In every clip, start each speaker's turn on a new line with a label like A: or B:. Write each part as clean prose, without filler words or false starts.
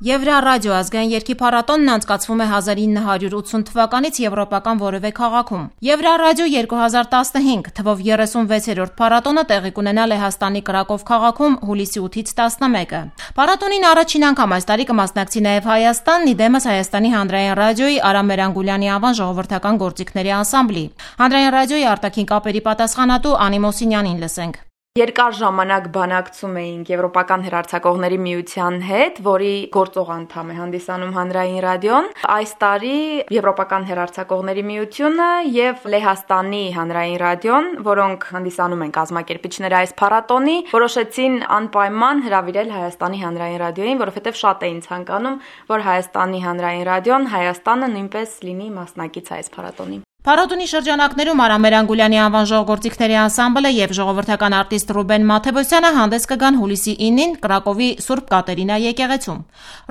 A: Եվրարադիո ազգային երգի փառատոնն անցկացվում է 1980 թվականից եվրոպական որևէ քաղաքում։ Եվրարադիո 2015 թվով 36-րդ փառատոնը տեղի կունենա Լեհաստանի Կրակով քաղաքում հուլիսի 8-ից 11-ը։ Փառատոնին առաջին անգամ այս տարի կմասնակցի նաև Հայաստանն, իդեմս Հայաստանի հանրային ռադիոյի Արամ Մերանգուլյանի անվան ժողովրդական գործիքների անսամբլի։ Հանրային ռադիոյի արտաքին կապերի պատասխանատու Անի Մոսինյանին լսենք։
B: Երկար ժամանակ բանակցում էինք Եվրոպական հեռարձակողների միության հետ, որի գործող անդամ է հանդիսանում հանրային ռադիոն։ Այս տարի Եվրոպական հեռարձակողների միությունը եւ Լեհաստանի հանրային ռադիոն, որոնք հանդիսանում են կազմակերպիչները այս փառատոնի, որոշեցին անպայման հրավիրել Հայաստանի հանրային ռադիոյին, որովհետեւ շատ էին ցանկանում, որ Հայաստանի հանրային ռադիոն Հայաստանը նույնպես լինի մասնակից այս փառատոնի։
A: Փառատոնի շրջանակներում Արամ Մերանգուլյանի անվան ժողովրդիկների անսամբլը եւ ժողովրդական արտիստ Ռուբեն Մաթևոսյանը հանդես կգան հուլիսի 9-ին Կրակովի Սուրբ Կատերինա եկեղեցում։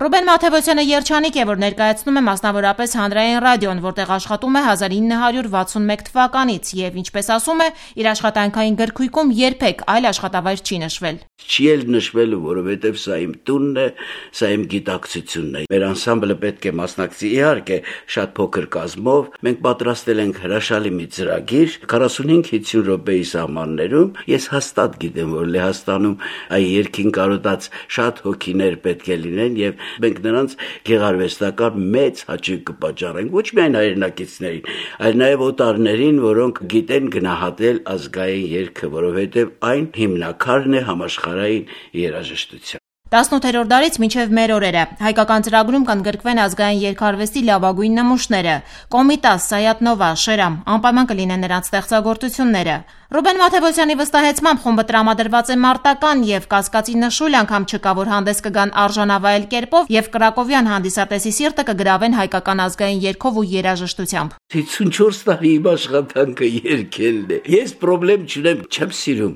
A: Ռուբեն Մաթևոսյանը երջանիկ է, որ ներկայացնում է մասնավորապես հանրային ռադիոն, որտեղ աշխատում է 1961 թվականից եւ ինչպես ասում է, իր աշխատանքային գրքույկում երբեք այլ աշխատավայր չի նշվել։
C: Չի էլ նշվելու, որովհետև սա իմ տունն է, սա իմ գիտակցությունն է։ Մեր անսամբլը պետք է մասնակցի, իհարկե, շատ փոքր կազմով։ Մենք պատրաստել ենք հրաշալի մի ծրագիր 45-50 րոպեի սահմաններում։ Ես հաստատ գիտեմ, որ Լեհաստանում այ երկին կարոտած շատ հոգիներ պետք է լինեն եւ մենք նրանց գեղարվեստական մեծ հաճույք կպատճառենք, ոչ միայն հայրենակիցներին, այլ նաեւ օտարներին, որոնք գիտեն գնահատել ազգային երգը, որովհետեւ այն հիմնաքարն է համաշխարհային երաժշտության։
A: 18-րդ դարից մինչև մեր օրերը հայկական ծրագրում կընդգրկվեն ազգային երգարվեստի լավագույն նմուշները։ Կոմիտաս, Սայաթնովա, Շերամ, անպայման կլինեն նրանց ստեղծագործությունները։ Ռուբեն Մաթևոսյանի վստահեցմամբ խումբը տրամադրված է մարտական եւ կասկածի նշույլ անգամ չկա, որ հանդես կգան արժանավայել կերպով եւ կրակովյան հանդիսատեսի սիրտը կգրավեն հայկական ազգային երգով ու երաժշտությամբ։
C: 54 տարի իմ աշխատանքը երգելն է։ Ես խնդրեմ չունեմ, չեմ սիրում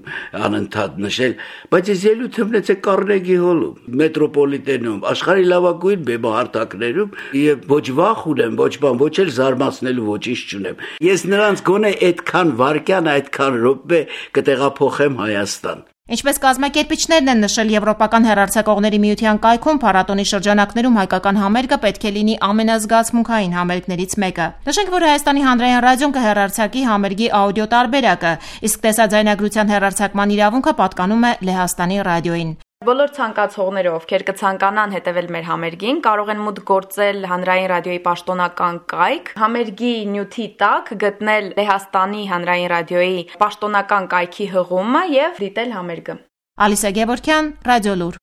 C: անընդհատ նշել, բայց ես ելույթ ունեցա Կարնեգի հոլում, մետրոպոլիտենում, աշխարհի լավագույն բեմահարթակներում եւ ոչ վախ ունեմ, ոչ բան, ոչ էլ զարմացնելու ոչինչ չունեմ։ Ես նրանց գոնե այդքան վարքյան, այդքան րոպե կտեղափոխեմ Հայաստան։
A: Ինչպես կազմակերպիչներն են նշել Եվրոպական հեռարձակողների միության կայքում, փառատոնի շրջանակներում հայկական համերգը պետք է լինի ամենազգացմունքային համերգներից մեկը։ Նշենք, որ Հայաստանի հանրային ռադիոն կհեռարձակի համերգի աուդիո տարբերակը, իսկ տեսաձայնագրության հեռարձակման իրավունքը պատկանում է Լեհաստանի ռադիոյին։
B: Բոլոր ցանկացողները, ովքեր կցանկանան հետևել մեր համերգին, կարող են մուտք գործել հանրային ռադիոյի պաշտոնական կայք, համերգի նյութի տակ գտնել Լեհաստանի հանրային ռադիոյի պաշտոնական կայքի հղումը եւ դիտել համերգը։
A: Ալիսա Գևորգյան, Ռադիոլուր։